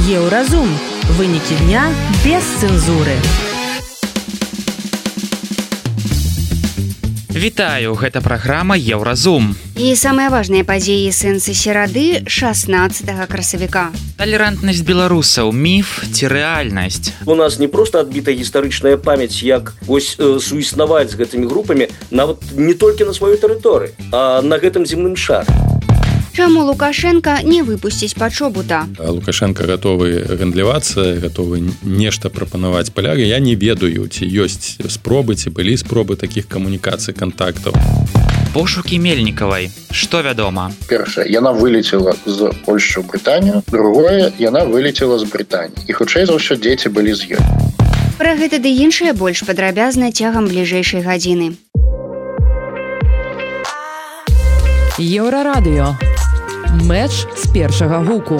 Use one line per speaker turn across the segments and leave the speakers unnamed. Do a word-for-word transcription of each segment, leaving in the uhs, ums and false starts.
Еўразум. Вынікі дня без цэнзуры.
Вітаю, гэта праграма Еўразум.
І самыя важныя падзеі сэнсы серады шаснаццатага красавіка.
Талерантнасць беларусаў, міф ці рэальнасць?
У нас не проста адбіта гістарычная памяць, як вось э, суіснаваць з гэтымі групамі нават не толькі на сваёй тэрыторыі, а на гэтым земным шары.
Чаму Лукашенко не выпусціць пачобута?
Лукашенко гатовы гандлявацца, гатовы нешта прапанаваць паляры. Я не ведаю, ці ёсць спробы, ці былі спробы такіх камунікацый, кантактаў.
Пошукі Мельнікавай. Што вядома?
Першае, яна вылецела з Польшчы ў Брытанію. Другое, яна вылецела з Брытаніі. І хутчэй за ўсё дзеці былі з ёй.
Пра гэта ды іншае больш падрабязна цягам бліжэйшай гадзіны.
Еўрарадыё. Мэч з першага гуку.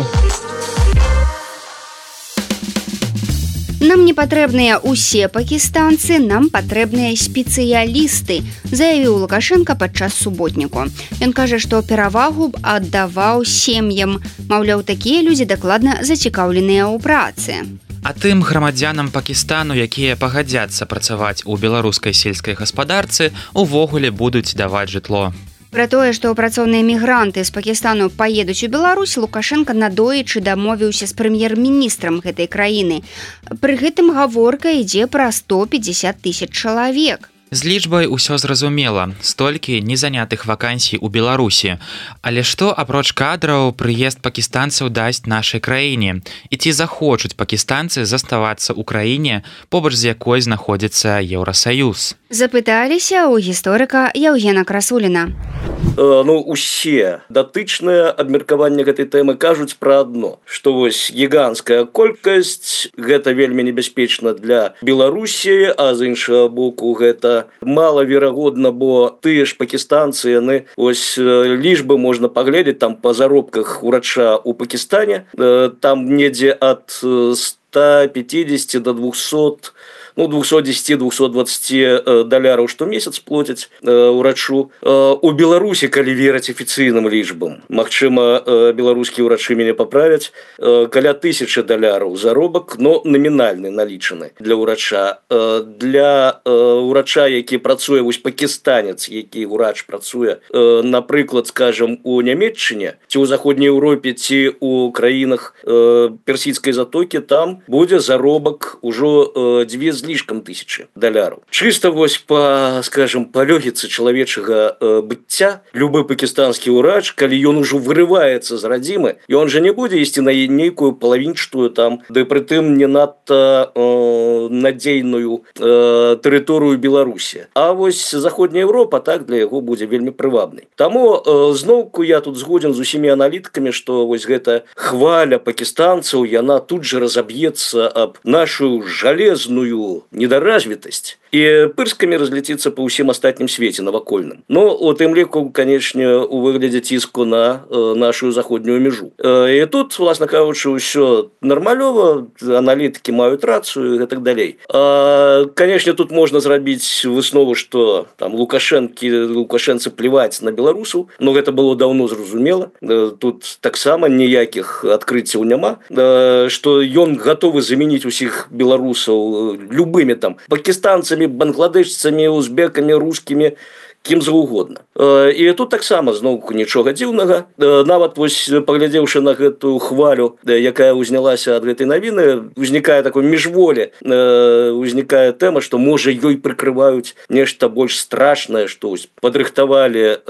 Нам не патрэбныя ўсе пакістанцы, нам патрэбныя спецыялісты, заявіў Лукашенко падчас суботніку. Ён кажа, што перавагу б аддаваў сем'ям. Маўляў, такія людзі дакладна зацікаўленыя ў працы.
А тым грамадзянам Пакістану, якія пагадзяцца працаваць у беларускай сельскай гаспадарцы, увогуле будуць даваць жытло.
Пра тое, што працоўныя мігранты з Пакістану паедуць у Беларусь, Лукашенко надоечы дамовіўся з прэм'ер-міністрам гэтай краіны. Пры гэтым гаворка ідзе пра сто пятьдесят тысяч чалавек.
З лічбай усё зразумела, столькі незанятых вакансій у Беларусі. Але што, апроч кадраў, прыезд пакістанцаў дасць нашай краіне? І ці захочуць пакістанцы заставацца ў краіне, побач з якой знаходзіцца Еўрасаюз?
Запыталіся ў гісторыка Яўгена Красуліна.
Э, ну, усе датычныя абмеркавання гэтай тэмы кажуць пра адно, што вось гіганцкая колькасць, гэта вельмі небяспечна для Беларусі, а з іншага боку гэта малаверагодна, бо тыя ж пакістанцы, яны ось лічбы можна паглядзець там па заробках урача ў Пакістане, э, там недзе ад ста пятидесяти до двухсот, ну, двухсот десяти - двухсот двадцати даляраў штомесяц плоцяць э, урачу. Э, у Беларусі, калі верыць афіцыйным лічбам, магчыма, э, беларускія ўрачы мяне паправяць, э, каля тысячы даляраў заробак, но намінальны налічаны для ўрача. Э, для э, ўрача, які працуе, вось пакістанец, які ўрач працуе, э, напрыклад, скажем, у Нямецчыне, ці ў заходняй Еўропе, ці ў краінах э, персідскай затокі, там будзе заробак ужо э, дзве з лішкам тысячы даляраў. Чыста вось па, скажем, па лёгіцы чалавечага э, быцця, любы пакістанскі ўрач, калі ён ужо вырываецца з радзімы, ён жа не будзе ісці на нейкую палавінчатую там, ды прытым не надта э, надзейную э, тэрыторыю Беларусі. А вось заходняя Еўропа, так, для яго будзе вельмі прывабнай. Таму э, зноўку я тут згодзін з усімі аналітыкамі, што вось гэта хваля пакістанцаў, яна тут жа разаб'ецца аб нашу жалезную недаразвітасць і пырскамі разляціцца па ўсім астатнім свеце навакольным. Ну, у тым ліку, канечне, у выглядзе ціску на э, нашу заходнюю мяжу. Э, і тут, власна кажучы, ўсё нармалёва, аналітыкі маюць рацыю і так далей. А, канечне, тут можна зрабіць выснову, што там Лукашэнкі, Лукашэнцы пліваць на беларусаў, но гэта было даўно зразумела. Э, тут таксама ніякіх адкрыццяў няма, э, што ён гатовы замяніць усіх беларусаў любымі там пакістанцамі, бангладешцамі, узбекамі, рускімі, кім заўгодна. І тут таксама зноўку нічога дзіўнага. Нават вось паглядзеўшы на гэтую хвалю, якая ўзнялася ад гэтай навіны, узнікае такое міжволі, узнікае тэма, што можа ёй прыкрываюць нешта больш страшнае, што падрыхтавалі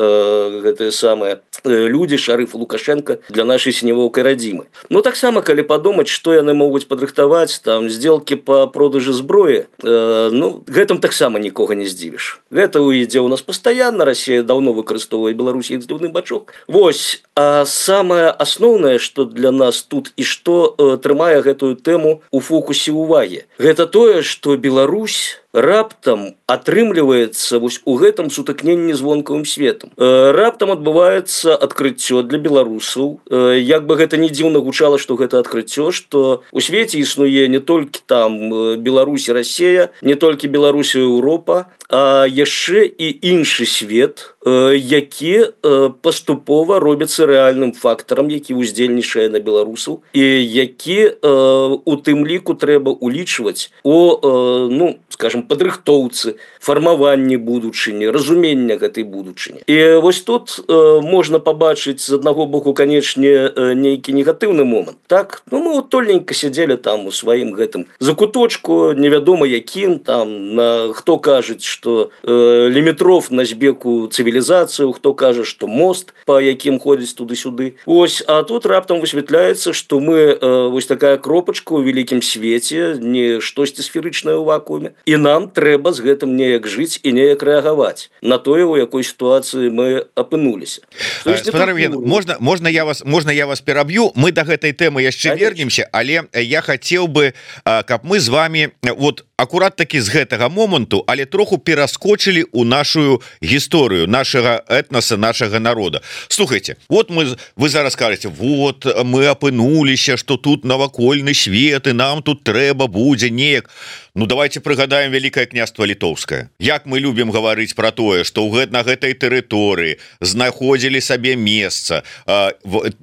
гэтыя самыя людзі, Шарыф Лукашенко, для нашай сінявоўкай радзімы. Ну таксама, калі падумаць, што яны могуць падрыхтаваць, там сделкі па продажы зброі, ну гэтым таксама нікога не здзівіш. Гэта ідзе ў нас пастаянна, Расія даўно выкарыстоўвае Беларусь як здзіўны бачок. Вось, а самае асноўнае, што для нас тут і што э, трымае гэтую тэму у фокусе ўвагі, гэта тое, што Беларусь раптам атрымліваецца вось у гэтым сутыкненні з вонкавым светам. Э, раптам адбываецца адкрыццё для беларусаў. Э, як бы гэта не дзіўна гучала, што гэта адкрыццё, што у свеце існуе не толькі там Беларусь і Расія, не толькі Беларусь і Еўропа, а яшчэ і іншы свет, які паступова робіцца рэальным фактарам, які ўздзельнічае на беларусаў і які у тым ліку трэба улічваць у, ну, скажем, падрыхтоўцы, фармаванні будучыні, разумення гэтай будучыні. І вось тут можна пабачыць з аднаго боку, канечне, нейкі негатыўны момант. Так, ну мы утольненька сядзелі там у сваім гэтым закуточку, невядома якім, там, на, хто кажуць, што э, лімітров на збеку цывілізацыю, хто кажа, што мост, па якім ходзіць туды-сюды. Ось, а тут раптам высвятляецца, што мы э, вось такая кропачка ў вялікім свеце, не штосьці сферычнае ў вакууме, і нам трэба з гэтым неяк жыць і неяк рэагаваць на тое, у якой сітуацыі мы апынуліся.
Можна, можна я вас, можна я вас пераб'ю, мы до гэтай тэмы яшчэ вернемся, але я хацеў бы, каб мы з вами вот акурат таки з гэтага моманту, але троху пераскочылі ў нашу гісторыю нашага этноса, нашага народа. Слухайте, вот мы, вы зараз кажаце, вот мы апынуліся, что тут навакольны свет і нам тут трэба будзе неяк. Ну давайте прыгадаем Вялікае княства Літоўскае. Як мы любім гаварыць пра тое, што ў на гэтай тэрыторыі знаходзілі сабе месца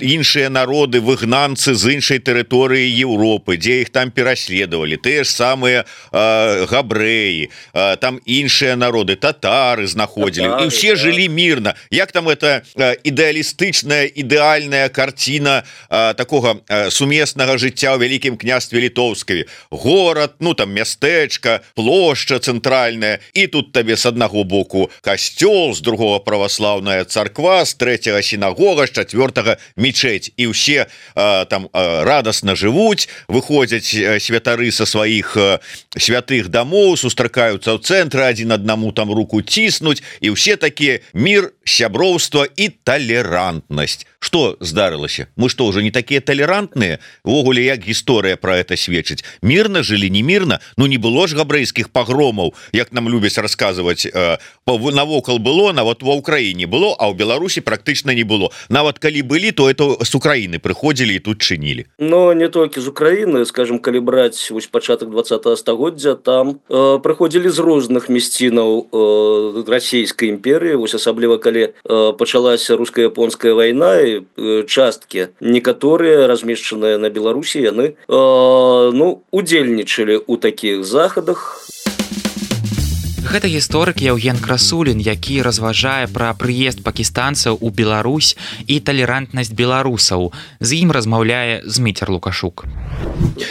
іншыя народы, выгнанцы з іншай тэрыторыі Еўропы, дзе іх там пераследавалі, тыя ж самыя габрэі, там іншыя народы, татары знаходзілі, і ўсе жылі мірна. Як там это ідэалістычная, ідэальная карціна такога сумеснага жыцця ў Вялікім княстве Літоўскае. Горад, ну там мястэчка, плошча цэнтральная, і тут табе з аднаго боку касцёл, з другого праваслаўная царква, з трэцяга сінагога, з чацвёртага мечеть. І ўсе там радасна жывуць, выходзяць святары са сваіх святых дамоў, сустракаюцца ў цэнтры, адзін аднаму там руку ціснуць, і ўсе такія мір, сяброўства і талерантнасць. Што здарылася? Мы што, уже не такія талерантныя? Увогуле, як гісторыя пра гэта сведчыць? Мірна жылі, не мірна? Ну не было ж габрэйскіх пагромаў, як нам любяць расказваць. Навокал было, нават ва ўкраіне было, а ў Беларусі практычна не было. Нават калі былі, то это з Украіны прыходзілі і тут чынілі.
Но не толькі з Украіны, скажем, калі браць вось пачатак двадцатага стагоддзя, там э, прыходзілі з розных мясцінаў э, расійскай імперыі, вось асабліва калі э, пачалася руска-японская вайна, і э, часткі некаторыя размешчаныя на Беларусі, яны э, ну, удзельнічалі ў такіх захадах.
Гэта гісторык Яўген Красулін, які разважае пра прыезд пакістанцаў у Беларусь і талерантнасць беларусаў. З ім размаўляе Зміцер Лукашук.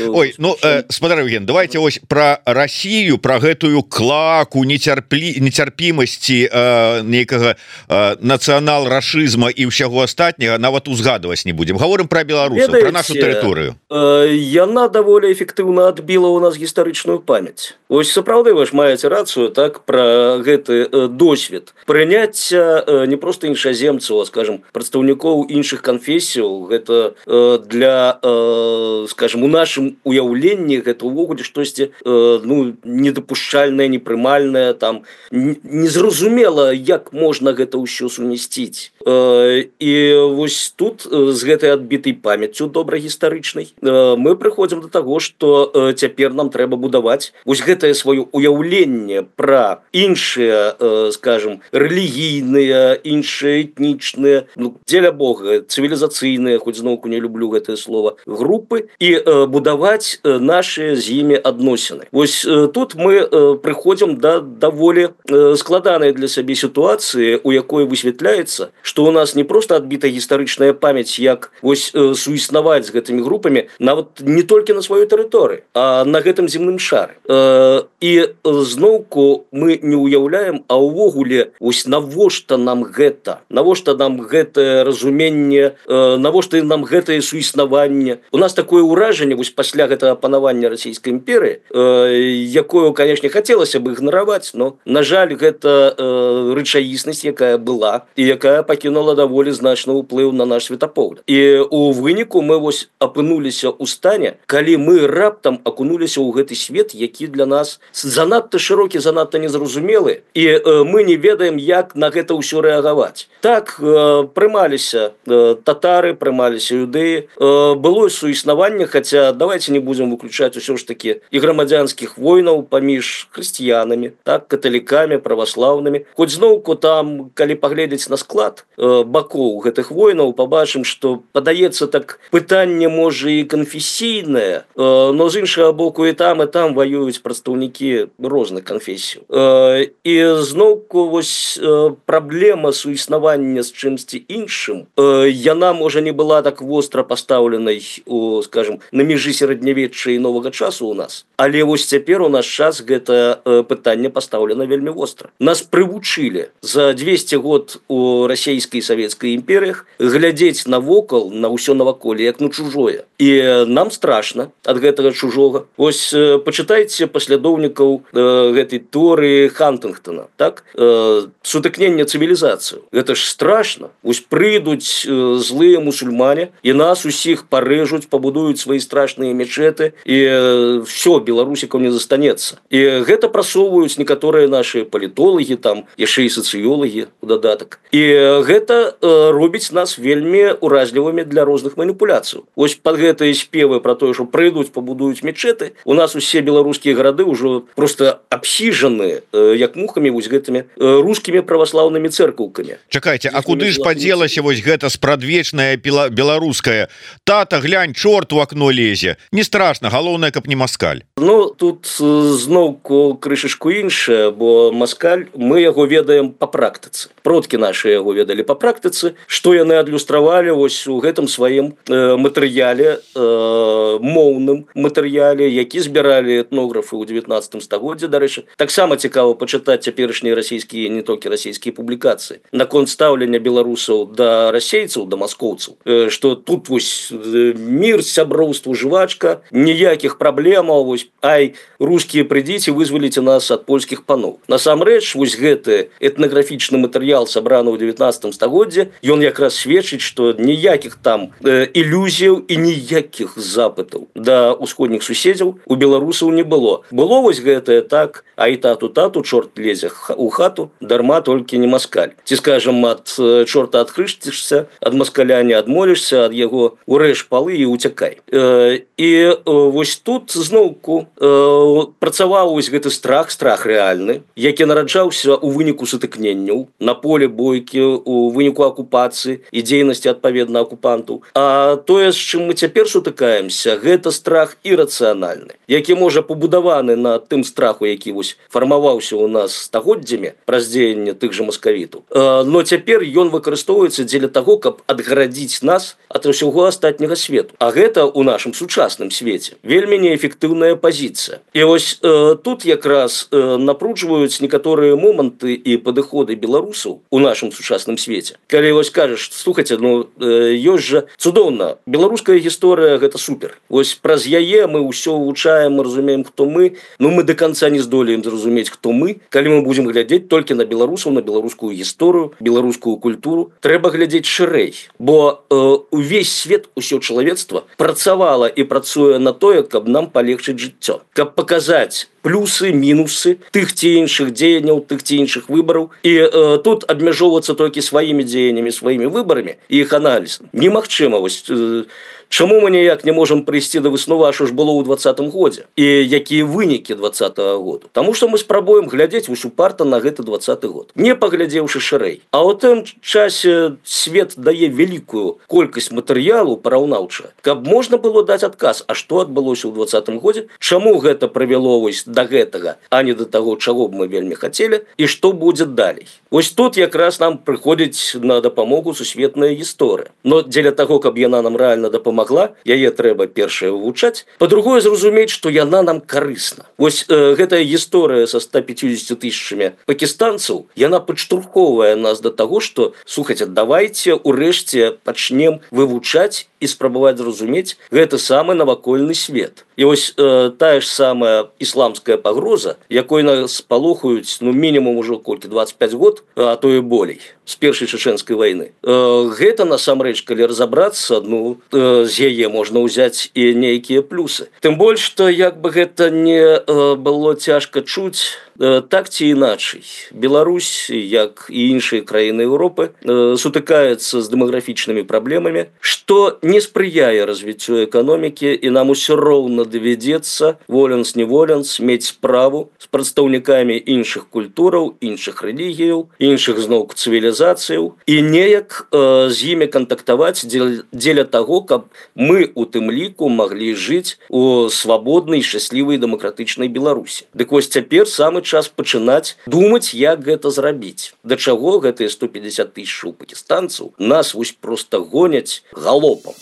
Ой, ну, э, спадар Яўген, давайте ось пра Расію, пра гэтую клаку нецярплі... нецярпімасці э, нейкага э, нацыянал-рашызма і ўсяго астатняга нават узгадваць не будзем. Гаворым пра беларусаў, пра нашу тэрыторыю.
Э, яна даволі эфектыўна адбіла ў нас гістарычную памяць. Ось сапраўды вы ж маеце рацыю, так, пра гэты э, досвед прыняцця э, не проста іншаземцаў, а, скажем, прадстаўнікоў іншых канфесіяў. Гэта э, для, э, скажем, у нашым уяўленні гэта ўвогуле штосьці э, ну, недапушчальнае, непрымальнае, там незразумела, як можна гэта ўсё сумясціць. Э, і вось тут э, з гэтай адбітай памяццю добра гістарычнай э, мы прыходзім да таго, што э, цяпер нам трэба будаваць вось гэтае сваё уяўленне пра іншыя, э, скажем, рэлігійныя, іншыя этнічныя, ну, дзеля Бога, цывілізацыйныя, хоць зноўку не люблю гэтае слово, групы, і э, будаваць э, нашыя з імі адносіны. Вось э, тут мы э, прыходзім да даволі э, складанай для сябе сітуацыі, у якой высвятляецца, што ў нас не проста адбіта гістарычная памяць, як вось э, суіснаваць з гэтымі групамі, нават не толькі на сваёй тэрыторыі, а на гэтым земным шары. Э, і э, зноўку мы не ўяўляем, а ўвогуле ось навошта нам гэта, навошта нам гэтае разуменне, э, навошта нам гэтае суіснаванне. У нас такое ўражанне вось пасля гэтага панавання расійскай імперыі, э, якую, канешне, хацелася бы ігнараваць, но, на жаль, гэта э, рэчаіснасць, якая была і якая пакінула даволі значны ўплыў на наш светапогляд. І у выніку мы вось апынуліся ў стане, калі мы раптам акунуліся ў гэты свет, які для нас занадта шырокі, занадта надта незразумелы і э, мы не ведаем, як на гэта ўсё рэагаваць. Так э, прымаліся э, татары, прымаліся юдэі, э, было суіснаванне, хаця давайте не будзем выключаць усё ж такі і грамадзянскіх войнаў паміж хрысціянамі, так, каталікамі, праваслаўнымі. Хоць зноўку там, калі паглядзець на склад э, бакоў гэтых войнаў, пабачым, што падаецца так пытанне можа і канфесійнае, э, но з іншага боку і там і там воююць прадстаўнікі розных канфесій. Э, і зноўку вось э, праблема суіснавання з чымсьці іншым, э, яна можа не была так востра пастаўленай у, скажем, на межы сярэднявечча і новага часу у нас, але вось цяпер у наш час гэта э, пытанне пастаўлена вельмі востра. Нас прывучылі за двести год у расійскай і савецкай імперыях глядзець навокал на ўсё наваколле як на чужое, і нам страшна ад гэтага чужога. Вось э, пачытайце паслядоўнікаў э, гэтай тэорыі Хантынгтона, так, э, сутыкнення цывілізацыю. Гэта ж страшна. Вось прыйдуць э, злыя мусульмане і нас усіх парэжуць, пабудуюць свае страшныя мечеты, і э, все, беларусікаў не застанецца. І гэта прасоўваюць некаторыя нашы палітолагі, там яшчэ і сацыёлагі у дадатак. І гэта э, робіць нас вельмі уразлівымі для розных маніпуляцый. Вось пад гэтыя спевы пра тое, што прыйдуць, пабудуюць мечеты, у нас усе беларускія гарады ўжо просто абсіжаны э, як мухамі вось гэтымі э, рускімі праваслаўнымі цэркаўкамі.
Чакайце, а куды ж падзелася вось гэта спрадвечнае беларускае? Тата, глянь, чорт у акно лезе. Не страшна, галоўнае, каб не маскаль.
Ну, тут зноўку крышачку іншае, бо маскаль, мы яго ведаем па практыцы. Продкі нашы яго ведалі па практыцы, што яны адлюстравалі вось у гэтым сваім э, матэрыяле, э, моўным матэрыяле, які збіралі этнографы ў дзевятнаццатым стагоддзі, дарэчы. Таксама цікава пачытаць цяперашнія расійскія, не толькі расійскія публікацыі наконт стаўлення беларусаў да расейцаў, да маскоўцаў, э, што тут вось э, мір, сяброўства, жвачка, ніякіх праблемаў, вось, ай, рускія, прыйдзіце, вызваліце нас ад польскіх паноў. Насамрэч, вось гэты этнаграфічны матэрыял сабраны ў дзевятнаццатым стагоддзі, ён якраз сведчыць, што ніякіх там э, ілюзіяў і ніякіх запытаў да ўсходніх суседзяў у беларусаў не было. Было вось гэтае так, ай, тату, тату, чорт лезе у хату, дарма толькі не маскаль. Ці, скажам, ад э, чорта адхрысцішся, ад маскаля не адмолішся, ад яго урэж палы і уцякай. Э, і э, вось тут зноўку э, працаваў вось гэты страх, страх рэальны, які нараджаўся ў выніку сутыкненняў на поле бойкі, у выніку акупацыі і дзейнасці адпаведна акупантаў. А тое, з чым мы цяпер сутыкаемся, гэта страх ірацыянальны, які можа пабудаваны на тым страху, які вось фармаваўся ў нас стагоддзямі праз дзеянне тых жа маскавітаў. Э, но цяпер ён выкарыстоўваецца дзеля таго, каб адгарадзіць нас ад усяго астатняга свету. А гэта ў нашым сучасным свеце вельмі неэфектыўная пазіцыя. І вось э, тут якраз э, напружваюць некаторыя моманты і падыходы беларусаў у нашым сучасным свеце. Калі вось кажаш, слухайце, ну э, ёсць жа цудоўна, беларуская гісторыя гэта супер. Вось праз яе мы ўсё вывучаем, мы разумеем, хто мы, ну мы до конца не здолеем зразумець, хто мы, калі мы будзем глядзець толькі на беларусаў, на беларускую гісторыю, беларускую культуру. Трэба глядзець шырэй, бо э, увесь свет, усё чалавецтва працавала і працуе на тое, каб нам палегчыць жыццё, каб паказаць плюсы, мінусы тых ці іншых дзеянняў, тых ці іншых выбараў. І э, тут абмяжоўвацца толькі сваімі дзеяннямі, сваімі выбарамі і іх аналіз немагчыма. Вось э, чаму мы ніяк не можам прыйсці да высновы, а што ж было ў двадцатым годзе і якія вынікі двадцатага году? Таму што мы спрабуем глядзець вось упарта на гэты двадцаты год, не паглядзеўшы шырэй. А ў тым часе свет дае вялікую колькасць матэрыялу параўнаўча, каб можна было даць адказ, а што адбылося ў двадцатым годзе, чаму гэта прывяло вось да гэтага, а не да таго, чаго б мы вельмі хацелі, і што будзе далей. Вось тут якраз нам прыходзіць на дапамогу сусветная гісторыя. Но дзеля таго, каб яна нам рэальна дапамагла, яе трэба першае вывучаць, па-другое зразумець, што яна нам карысна. Вось э, гэтая гісторыя са ста пяцьюдзесятю тысячамі пакістанцаў, яна падштурхоўвае нас да таго, што, слухайце, давайце ўрэшце пачнем вывучаць і спрабаваць зразумець гэты самы навакольны свет. І вось э, тая ж самая ісламская пагроза, якой нас палохаюць, ну, мінімум ужо колькі, двадцять пять год, а то і болей. з першай чачэнскай вайны. Гэта насамрэч, калі разабрацца, ну з яе можна ўзяць і нейкія плюсы. Тым больш, што як бы гэта не было цяжка чуць, так ці іначай. Беларусь, як і іншыя краіны Еўропы, сутыкаецца з дэмаграфічнымі праблемамі, што не спрыяе развіццю эканомікі, і нам усё роўна давядзецца, воленс-неволенс, мець справу з прадстаўнікамі іншых культураў, іншых рэлігіяў, іншых зноўку цывілізацыяў, і неяк з імі кантактаваць дзеля таго, каб мы у тым ліку маглі жыць у свабоднай, шчаслівай, дэмакратычнай Беларусі. Дык вось цяпер самы час пачынаць думаць, як гэта зрабіць. Да чаго гэтыя сто пятьдесят тысяч пакістанцаў нас вось проста гоняць галопам.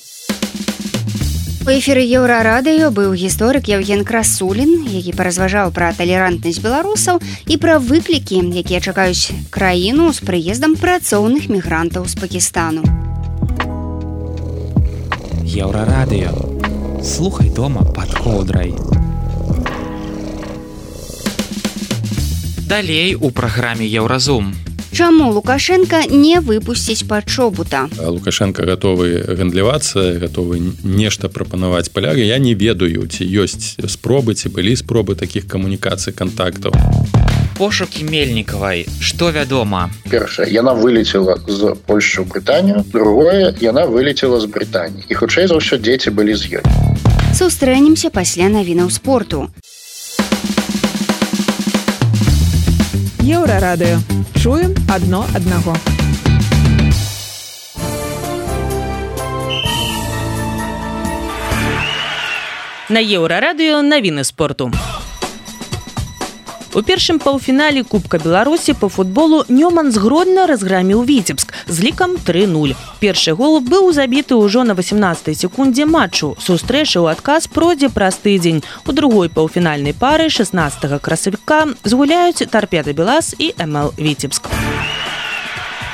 У эфіры Еўрарадыё быў гісторык Евген Красулін, які паразважаў пра талерантнасць беларусаў і пра выклікі, якія чакаюць краіну з прыездам працоўных мігрантаў з Пакістану.
Еўрарадыё. Слухай дома пад коўдрай. Далей у праграме Еўразум.
Чаму Лукашенко не выпусціць пачобута?
Лукашенко гатовы гандлявацца, гатовы нешта прапанаваць паляры. Я не ведаю, ці ёсць спробы, ці былі спробы такіх камунікацый, кантактаў.
Пошукі Мельнікавай. Што вядома?
Першае, яна вылецела з Польшчы ў Брытанію. Другое, яна вылецела з Брытаніі. І хутчэй за ўсё дзеці былі з ёй.
Сустрэнемся пасля навінаў спорту.
Еўрарадыё. Чуем адно аднаго.
На Еўрарадыё навіны спорту. У першым паўфінале Кубка Беларусі по футболу Нёман з Гродна разграміў Віцебск з лікам тры нуль. Першы гол быў забіты ўжо на васямнаццатай секундзе матчу. Сустрэча ў адказ пройдзе праз тыдзень. У другой паўфінальнай пары шаснаццатага красавіка згуляюць Торпеда Белас і эм эл Віцебск.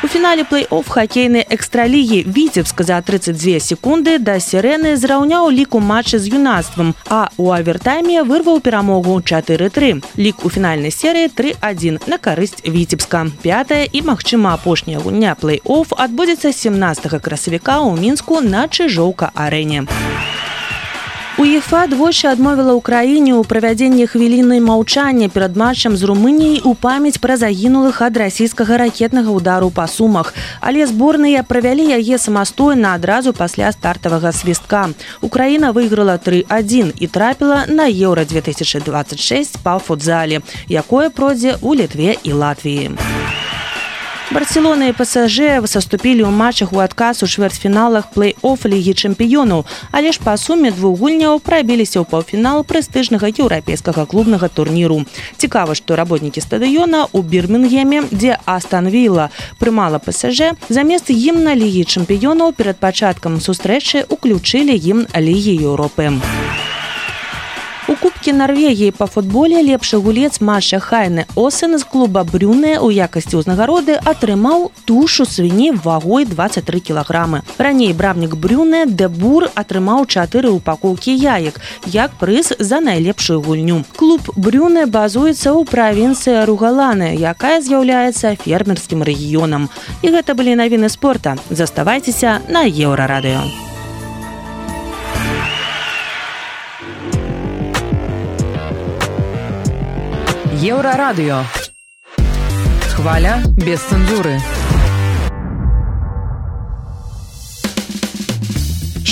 У фінале плэй-офф хакейнай экстралігі Віцебск за трыццаць дзве секунды да Сірэны зраўняў лік у матчы з юнацтвам, а ў авертайме вырваў перамогу чатыры тры. Лік у фінальнай серыі тры адзін на карысць Віцебска. Пятая і, магчыма, апошняя гульня плэй-офф адбудзецца сямнаццатага красавіка ў Мінску на Чыжоўка-арэне. УЕФА двойчы адмовіла ўкраіне ў правядзенні хвіліны маўчання перад матчам з Румыніяй у памяць пра загінулых ад расійскага ракетнага ўдару па Сумах. Але зборныя правялі яе самастойна адразу пасля стартавага свістка. Украіна выйграла тры адзін і трапіла на Еўра две тысячы двадцать шесть па футзале, якое пройдзе ў Літве і Латвіі. Барселона і ПСЖ саступілі ў матчах у адказ у чвэрцьфіналах плэй-офф Лігі чэмпіёнаў, але ж па суме двух гульняў прабіліся ў паўфінал прэстыжнага еўрапейскага клубнага турніру. Цікава, што работнікі стадыёна ў Бірмінгеме, дзе Астан Вілла прымала ПСЖ, замест гімна Лігі чэмпіёнаў перад пачаткам сустрэчы ўключылі гімн Лігі Еўропы. У Кубке Норвегіі па футболе лепшы гулец матча Хайне Осен з клуба Брюне ў якасці ўзнагароды атрымаў тушу свіні вагой двадцать тры кілаграмы. Раней брамнік Брюне Де Бур атрымаў чатыры упакоўкі яек, як прыз за найлепшую гульню. Клуб Брюне базуецца ў правінцыі Ругаланы, якая з'яўляецца фермерскім рэгіёнам. І гэта былі навіны спорта. Заставайцеся на Еўрарадыё.
Еўрарадыё. Хваля без цэнзуры.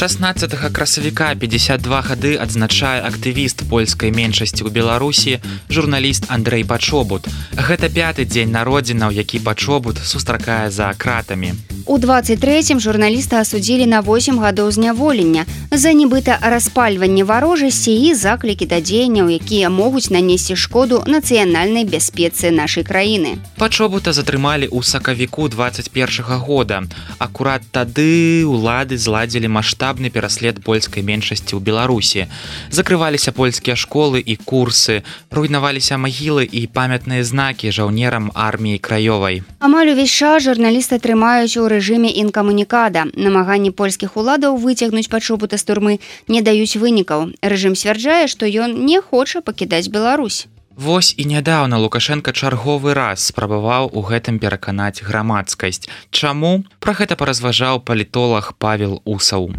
шаснаццатага красавіка пятьдесят два гады адзначае актывіст польскай меншасці ў Беларусі, журналіст Андрэй Пачобут. Гэта пяты дзень народзінаў, які Пачобут сустракае за кратамі.
У двадцать трэцім журналіста асудзілі на восемь гадоў зняволення за нібыта распальванне варожасці і заклікі да дзеянняў, якія могуць нанесці шкоду нацыянальнай бяспецы нашай краіны.
Пачобута затрымалі ў сакавіку двадцать першага года. Акурат тады ўлады зладзілі маштабны пераслед польскай меншасці ў Беларусі. Закрываліся польскія школы і курсы, руйнаваліся магілы і памятныя знакі жаўнерам арміі краёвай.
Амаль увесь час журналіста трымаюць у рэжыме інкамунікада. Намаганні польскіх уладаў выцягнуць Пачобута з турмы не даюць вынікаў. Рэжым сцвярджае, што ён не хоча пакідаць Беларусь.
Вось і нядаўна Лукашенко чарговы раз спрабаваў у гэтым пераканаць грамадскасць. Чаму? Пра гэта паразважаў палітолог Павел Усаў.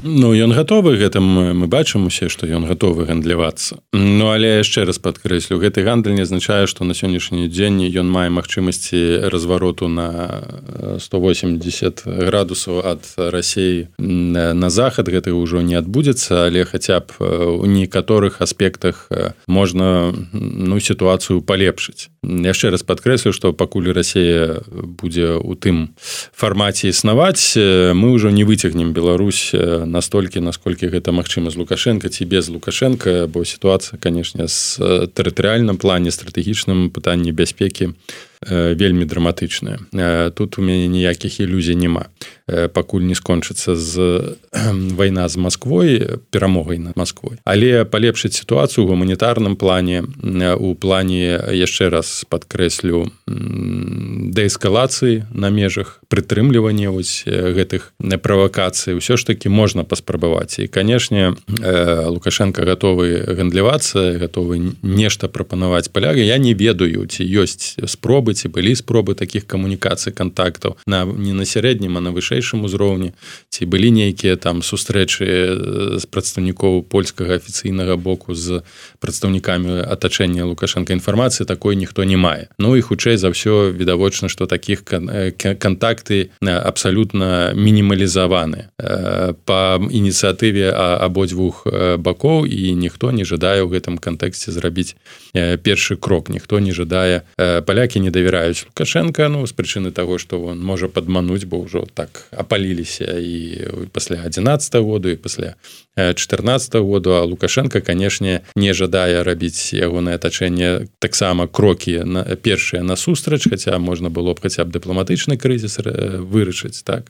Ну, ён гатовы гэтым, мы бачым усе, што ён гатовы гандлявацца. Ну, але яшчэ раз падкрэслю, гэты гандаль не азначае, што на сённяшні дзень ён мае магчымасці развароту на сто восемьдесят градусаў ад Расіі на захад. Гэта ўжо не адбудзецца, але хаця б у некаторых аспектах можна ну, сітуацыю палепшыць. Яшчэ раз падкрэслю, што пакуль Расія будзе ў тым фармаце існаваць, мы ўжо не выцягнем Беларусь настолькі, насколькі гэта магчыма з Лукашенко ці без Лукашенко, бо сітуацыя, канешне, з тэрытарыяльным плане, стратэгічным пытанні бяспекі вельмі драматычная. Тут у мяне ніякіх ілюзій няма. Пакуль не скончыцца з вайна з Масквой, перамогай над Масквой. Але палепшыць сітуацыю ў гуманітарным плане, у плане, яшчэ раз падкрэслю, дээскалацыі на межах, прытрымлівання вось гэтых правакацый, усё ж такі можна паспрабаваць. І, канешне, Лукашенко гатовы гандлявацца, гатовы нешта прапанаваць палягай. Я не ведаю, ці ёсць спробы, ці былі спробы такіх камунікацый, кантактаў на, не на сярэднім, а на вышэйшым узроўні, ці былі нейкія там сустрэчы з прадстаўнікоў польскага афіцыйнага боку з прадстаўнікамі атачэння Лукашенка. Інфармацыі такой ніхто не мае. Ну і хутчэй за ўсё відавочна, што такіх кантакты абсалютна мінімалізаваны па ініцыятыве абодвух бакоў, і ніхто не жадае ў гэтым кантэксце зрабіць першы крок. Ніхто не жадае, палякі не давяраюць Лукашенко, ну, з прычыны таго, што он можа падмануць, бо ўжо так апаліліся і пасля адзінаццатага году, і пасля чатырнаццатага году, а Лукашенко, канешне, не жадае рабіць ягонае атачэнне таксама крокі на, першыя насустрач, хаця можна было б хаця б дыпламатычны крызіс вырашыць, так,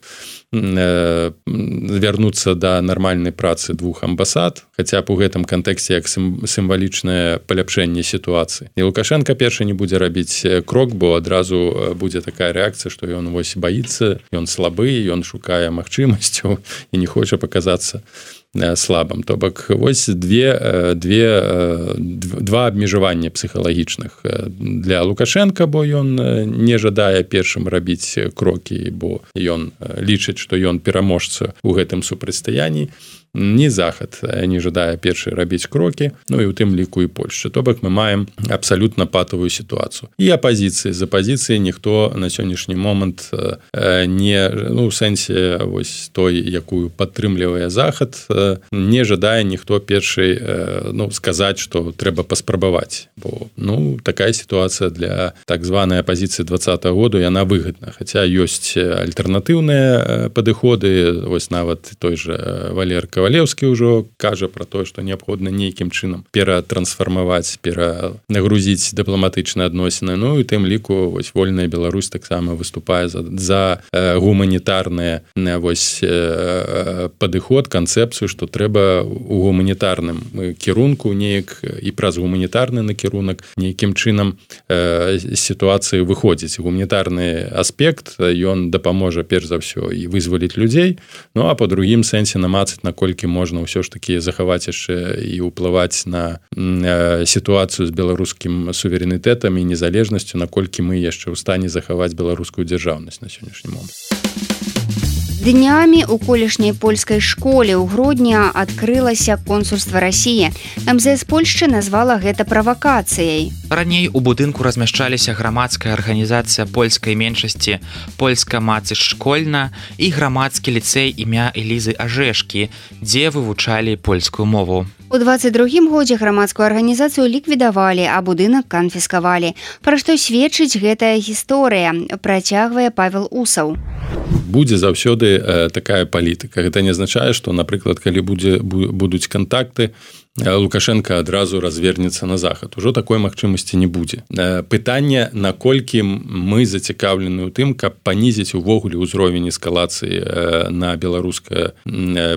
вярнуцца да нармальнай працы двух амбасад, хаця б у гэтым кантэксце як сімвалічнае паляпшэнне сітуацыі. І Лукашенко першы не будзе рабіць крок, бо адразу будзе такая рэакцыя, што ён вось баіцца, ён слабы, ён шукае магчымасцяў і не хоча паказацца слабым. То бок вось две, две, два абмежавання псіхалагічных для Лукашенка, бо ён не жадае першым рабіць крокі, бо ён лічыць, што ён пераможца ў гэтым супрацьстаянні. Ні захад не жадае першы рабіць крокі, ну і ў тым ліку і Польшча. То бок мы маем абсалютна патавую сітуацыю. І апазіцыі. З апазіцыі ніхто на сённяшні момант не, ну, ў сэнсе вось той, якую падтрымлівае захад, не жадае ніхто першый, ну, сказаць, што трэба паспрабаваць. Бо, ну, такая сітуацыя для так званай апазіцыі двадцатага году, яна выгадна. Хаця ёсць альтэрнатыўныя падыходы, вось нават той жа Валер Кавалеўскі ўжо кажа пра тое, што неабходна нейкім чынам ператрансфармаваць, перанагрузіць дыпламатычныя адносіны. Ну і тым ліку вось вольная Беларусь таксама выступае за, за гуманітарны вось падыход, канцэпцыю, што трэба у гуманітарным кірунку неяк і праз гуманітарны накірунак нейкім чынам сітуацыі выходзіць. Гуманітарны аспект, ён дапаможа перш за ўсё і вызваліць людзей, ну а па другім сэнсе намацаць, наколькі можна ўсё ж такі захаваць яшчэ і ўплываць на сітуацыю з беларускім суверэнітэтам і незалежнасцю, наколькі мы яшчэ ў стане захаваць беларускую дзяржаўнасць на сённяшні момант.
Днямі ў колішняй польскай школе ў Гродня адкрылася консульства Расіі. эм зэ эс Польшчы назвала гэта правакацыяй.
Раней у будынку размяшчаліся грамадская арганізацыя польскай меншасці «Польска маці школьна» і грамадскі ліцэй імя Элізы Ажэшкі, дзе вывучалі польскую мову.
У двадцать другім годзе грамадскую арганізацыю ліквідавалі, а будынак канфіскавалі. Пра што сведчыць гэтая гісторыя, працягвае Павел Усаў.
Будзе заўсёды э, такая палітыка. Гэта не азначае, што, напрыклад, калі будзе, будуць кантакты, Лукашенко адразу развернецца на захад. Ужо такой магчымасці не будзе. Пытанне, наколькі мы зацікаўлены ў тым, каб панізіць увогуле ўзровень эскалацыі на беларуска,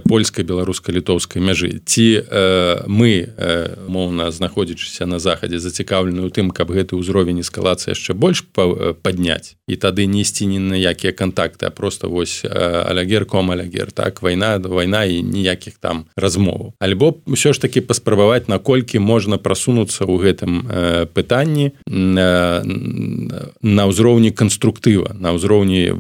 польскай, беларуска-літоўскай мяжы. Ці мы, моўна, знаходзячыся на захадзе, зацікаўлены ў тым, каб гэты ўзровень эскалацыі яшчэ больш падняць, і тады не ісці ні на якія кантакты, а проста просто вось алягер ком алягер, так, вайна, вайна і ніякіх там размоваў. Альбо ўсё ж таки паспрабаваць, наколькі можна прасунуцца ў гэтым пытанні на ўзроўні канструктыва, на ўзроўні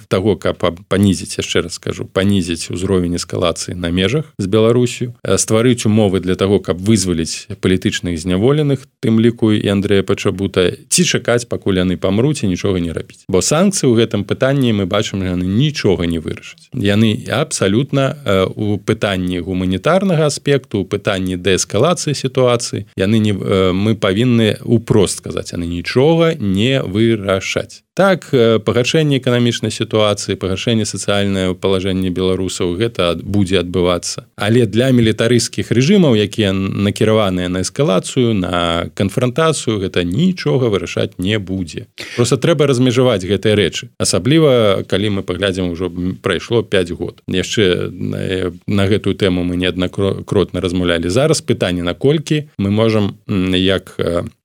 таго, каб панізіць, яшчэ раз скажу, панізіць узровень эскалацыі на межах з Беларусью, стварыць умовы для таго, каб вызваліць палітычных зняволеных, тым ліку і Андрэя Пачабута, ці чакаць, пакуль яны памруць і нічога не рабіць. Бо санкцыі ў гэтым пытанні мы бачым, яны нічога не вырашаць. Яны абсалютна у пытанні гуманітарнага аспекту, у пытанні дээскалацыі сітуацыі, яны не, мы павінны упрост сказаць, яны нічога не вырашаць. Так, пагаршэнне эканамічнай сітуацыі, пагаршэнне сацыяльнае палажэнне беларусаў, гэта будзе адбывацца. Але для мілітарысцкіх рэжымаў, якія накіраваныя на эскалацыю, на канфрантацыю, гэта нічога вырашаць не будзе. Просто трэба размежаваць гэтыя рэчы. Асабліва, калі мы паглядзім, ужо прайшло пяць год. Яшчэ на, на гэтую тэму мы неаднакротна размаўлялі. Зараз пытанне, наколькі мы можам, як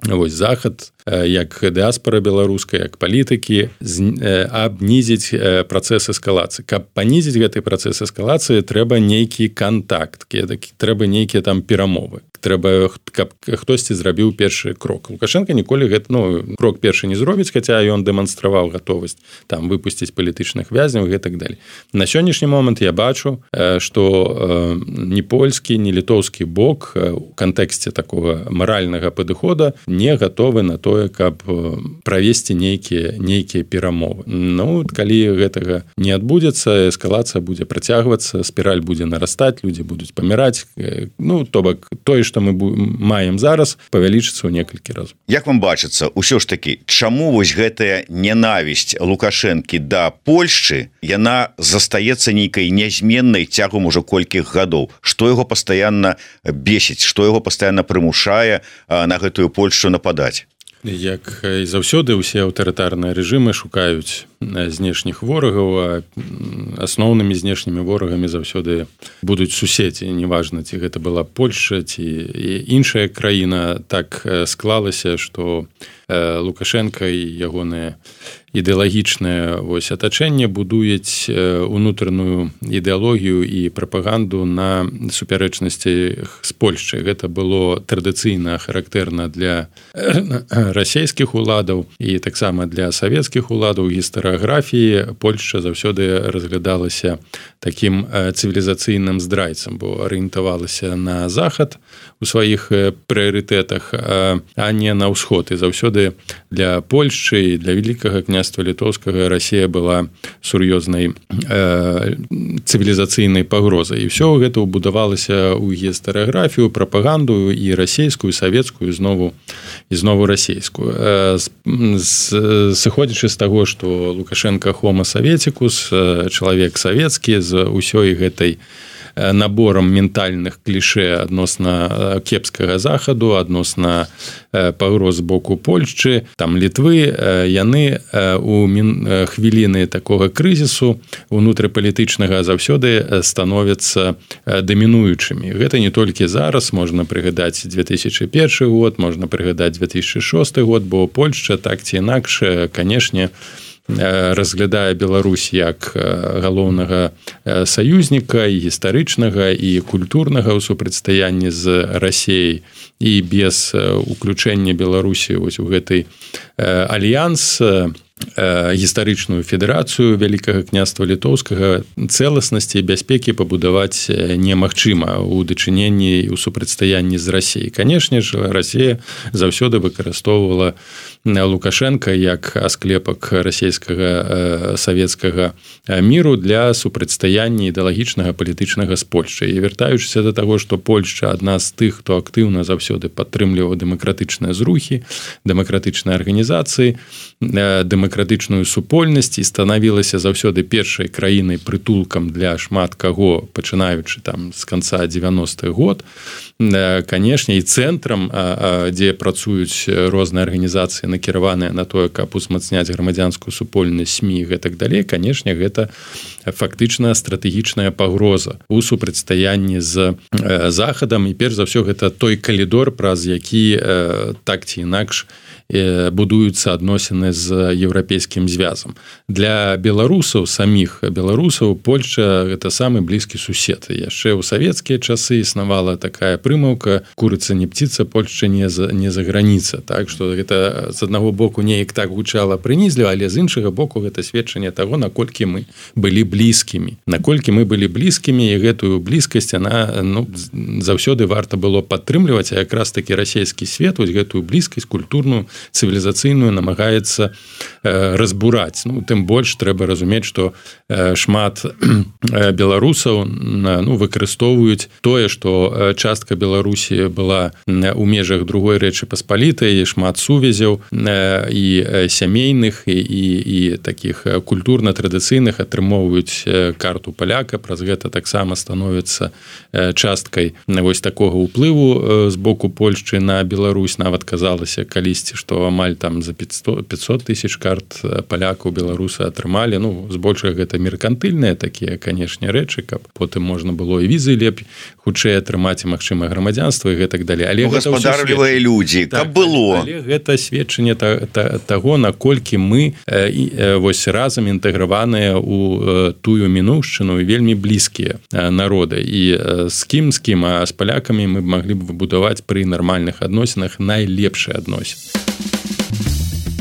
вось захад, як дыаспара беларуская, як палітыкі, абнізіць працэс эскалацыі. Каб панізіць гэты працэс эскалацыі, трэба нейкі кантакт, трэба нейкія там перамовы. Трэба, каб хтосьці зрабіў першы крок. Лукашенко ніколі гэты, ну, крок першы не зробіць, хаця ён дэманстраваў гатовасць там выпусціць палітычных вязняў і так далее. На сённяшні момант я бачу, што ні польскі, ні літоўскі бок у кантэксце такога маральнага падыхода не гатовы на тое, каб правесці нейкія нейкія перамовы. Ну, калі гэтага не адбудзецца, эскалацыя будзе працягвацца, спіраль будзе нарастаць, людзі будуць паміраць. Ну, то бок, тое, што мы маем зараз, павялічыцца ў некалькі разоў.
Як вам бачыцца, усё ж такі, чаму вось гэтая ненавісць Лукашэнкі да Польшчы, яна застаецца нейкай нязменнай цягам ужо колькіх гадоў? Што яго пастаянна бесіць, што яго пастаянна прымушае на гэтую Польшчу нападаць?
Як і заўсёды ўсе аўтарытарныя рэжымы шукаюць знешніх ворагаў, а асноўнымі знешнімі ворагамі заўсёды будуць суседзі, неважна, ці гэта была Польшча, ці іншая краіна. Так склалася, што Лукашенко і ягоныя ідэалагічнае вось атачэнне будуюць унутраную ідэалогію і прапаганду на супярэчнасці з Польшчай. Гэта было традыцыйна характэрна для расійскіх уладаў і таксама для савецкіх уладаў. Гістарыяграфіі Польшча заўсёды разглядалася такім цывілізацыйным здрайцам, бо арыентавалася на захад у сваіх прыярытэтах, а не на ўсход. І заўсёды для Польшчы і для вялікага княства літоўскага Расія была сур'ёзнай э, цывілізацыйнай пагрозай. І ўсё гэта ўбудавалася ў гістарыяграфію, прапаганду і расійскую, савецкую, знову і знову расійскую. Э, сыходзячы з таго, што Лукашенко хомо саветикус, чалавек савецкі з усёй гэтай наборам ментальных клішэ адносна кепскага захаду, адносна пагроз з боку Польшчы, там Літвы, яны у хвіліны такога крызісу унутрыпалітычнага заўсёды становяцца дамінуючымі. Гэта не толькі зараз, можна прыгадаць две тысячы першы год, можна прыгадаць две тысячы шосты год, бо Польшча так ці інакш, канешне, разглядае Беларусь як галоўнага саюзніка і гістарычнага і культурнага ў супрацьстаянні з Расіяй, і без уключэння Беларусі вось у гэтай альянс, гістарычную федэрацыю Вялікага княства літоўскага, цэласнасці і бяспекі пабудаваць немагчыма ў дачыненні і ў супрацьстаянні з Расіяй. Канешне ж, Расія заўсёды выкарыстоўвала Лукашенка як асклепак расійскага савецкага міру для супрацьстаяння ідэалагічнага палітычнага з Польшчай. І вяртаючыся да таго, што Польшча адна з тых, хто актыўна заўсёды падтрымліваў дэмакратычныя зрухі, дэмакратычныя арганізацыі, дэмакратычную супольнасць і станавілася заўсёды першай краінай прытулкам для шмат каго, пачынаючы там з канца дзевяностых год. Канешне, і цэнтрам, дзе працуюць розныя арганізацыі, накіраваныя на тое, каб узмацняць грамадзянскую супольнасць, СМІ і гэтак далей, канешне, гэта фактычна стратэгічная пагроза у супрацьстаянні з захадам, і перш за ўсё гэта той калідор, праз які так ці інакш будуюцца адносіны з еўрапейскім звязам. Для беларусаў, саміх беларусаў, Польшча – гэта самы блізкі сусед. Яшчэ ў савецкія часы існавала такая прымаўка «курыца не птица, Польшча не за, не за граніца». Так што гэта з аднаго боку неяк так гучала прынізліва, але з іншага боку гэта сведчанне таго, наколькі мы былі блізкімі. Наколькі мы былі блізкімі, і гэтую блізкасць, она, ну, заўсёды варта было падтрымліваць, а якраз такі расійскі свет вось гэтую блізкасць культурную, цывілізацыйную намагаецца э, разбураць. Ну, тым больш трэба разумець, што э, шмат э, беларусаў ну, выкарыстоўваюць тое, што частка Беларусі была у межах другой Рэчы Паспалітай, шмат сувязяў э, і сямейных і, і, і такіх культурна-традыцыйных атрымоўваюць карту паляка, праз гэта таксама становіцца часткай вось такога ўплыву з боку Польшчы на Беларусь. Нават казалася калісьці, што амаль там за пятьсот тысяч карт палякаў беларусы атрымалі. Ну, збольшага гэта меркантыльныя такія, канешне, рэчы, каб потым можна было і візы лепей хутчэй атрымаць, і магчыма грамадзянства і гэтак далей. Але
ну, гаспадарлівыя людзі, так, каб было.
Але гэта сведчанне та, та, таго, наколькі мы э, э, вось разам інтэграваныя ў э, тую мінуўшчыну і вельмі блізкія э, народы. І э, з кім, з кім, а з палякамі мы маглі б выбудаваць пры нармальных адносінах найлепшыя адносіны.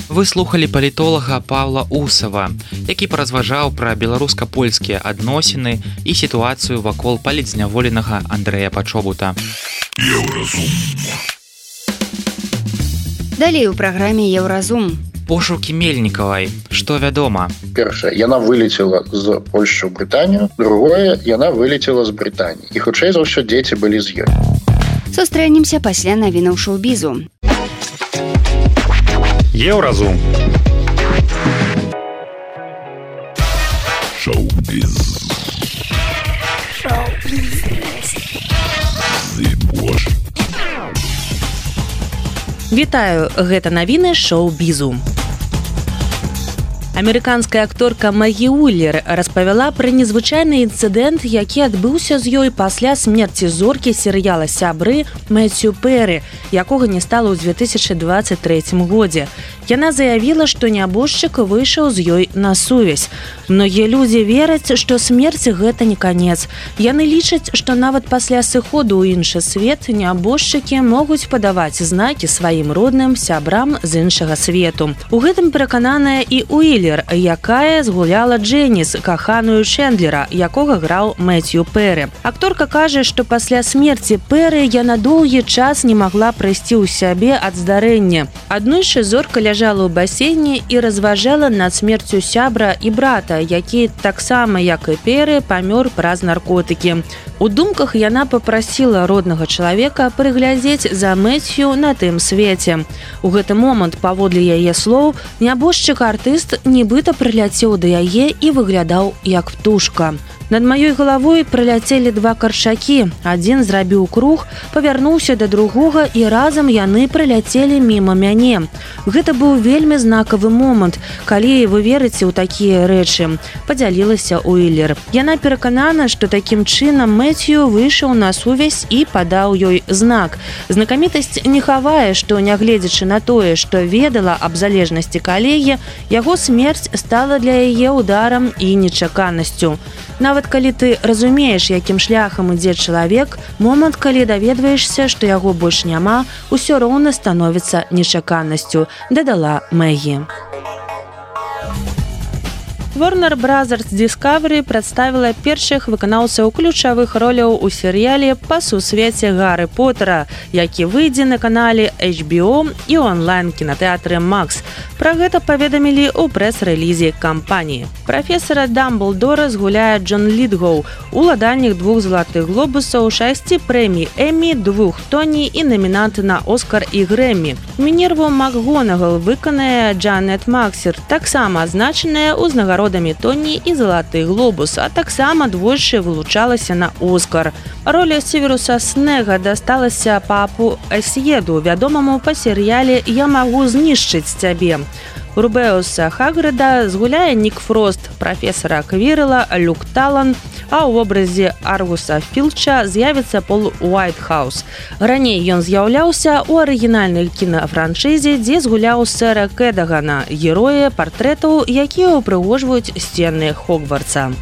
Вы слухалі палітолага Павла Усава, які паразважаў пра беларуска-польскія адносіны і сітуацыю вакол палітзняволенага Андрэя Пачобута.
Далей у праграме Еўразум.
Пошукі Мельнікавай. Што вядома?
Першае, яна вылецела з Польшчы ў Брытанію. Другое, яна вылецела з Брытаніі. І хутчэй за ўсё дзеці былі з ёй.
Сустрэнемся пасля навінаў шоу-бізу.
Еўразум.
Шоу-біз.
Вітаю, гэта навіны шоу-бізу. Амерыканская акторка Мэгі Уиллер распавяла пра незвычайны інцыдэнт, які адбыўся з ёй пасля смерці зоркі серыяла «Сябры» Мэцью Перы, якога не стала ў две тысячы дваццаць трэцім годзе. Яна заявіла, што нябожчык выйшаў з ёй на сувязь. Многія людзі вераць, што смерць гэта не канец. Яны лічаць, што нават пасля сыходу ў іншы свет нябожчыкі могуць падаваць знакі сваім родным сябрам з іншага свету. У гэтым перакананая і Уиллер, якая згуляла Джэніс, каханую Чэндлера, якога граў Мэцью Перы. Акторка кажа, што пасля смерці Перы яна доўгі час не магла прыйсці ў сябе ад здарэння. Аднойчы зорка ляжала ў басейне і разважала над смерцю сябра і брата, які таксама, як і Перы, памёр праз наркотыкі. У думках яна папрасіла роднага чалавека прыглядзець за Мэцью на тым свеце. У гэты момант, паводле яе слоў, нябожчык-артыст нібыта прыляцеў да яе і выглядаў як птушка. Над маёй галавой прыляцелі два каршакі. Адзін зрабіў круг, павярнуўся да другога, і разам яны прыляцелі міма мяне. Гэта быў вельмі знакавы момант, калі вы верыце ў такія рэчы, падзялілася Уиллер. Яна пераканана, што такім чынам Мэцью выйшаў на сувязь і падаў ёй знак. Знакамітасць не хавае, што, нягледзячы на тое, што ведала аб залежнасці калегі, яго смерць стала для яе ударам і нечаканасцю. Нават калі ты разумееш, якім шляхам ідзе чалавек, момант, калі даведваешся, што яго больш няма, усё роўна становіцца нечаканасцю, дадала Мэгі. Warner Brothers Discovery прадставіла першых выканаўцаў ключавых роляў у серыяле па сусвеце Гарры Поттера, які выйдзе на канале эйч би о і онлайн-кінатэатры Макс. Пра гэта паведамілі ў прэс-рэлізе кампаніі. Прафесара Дамблдора згуляе Джон Літгоу, уладальнік двух залатых глобусаў, шасці прэмій Эммі, двух Тоні і намінант на Оскар і Грэммі. Мінерву МакГонагал выканае Джанет Максер, таксама азначаная ў узнагародамі Тоні і залаты глобус, а таксама двойчы вылучалася на Оскар. Роля Северуса Снега дасталася папу Эсьеду, вядомаму па серыяле «Я магу знішчыць цябе». Рубеуса Хагрыда згуляе Нік Фрост, прафесара Квірла Люк Талан, а ў вобразе Аргуса Філча з'явіцца Пол Уайтхаус. Раней ён з'яўляўся ў арыгінальнай кінафраншызе, дзе згуляў сэра Кэдагана, героя партрэтаў, якія ўпрыгожваюць сцены Хогвартса.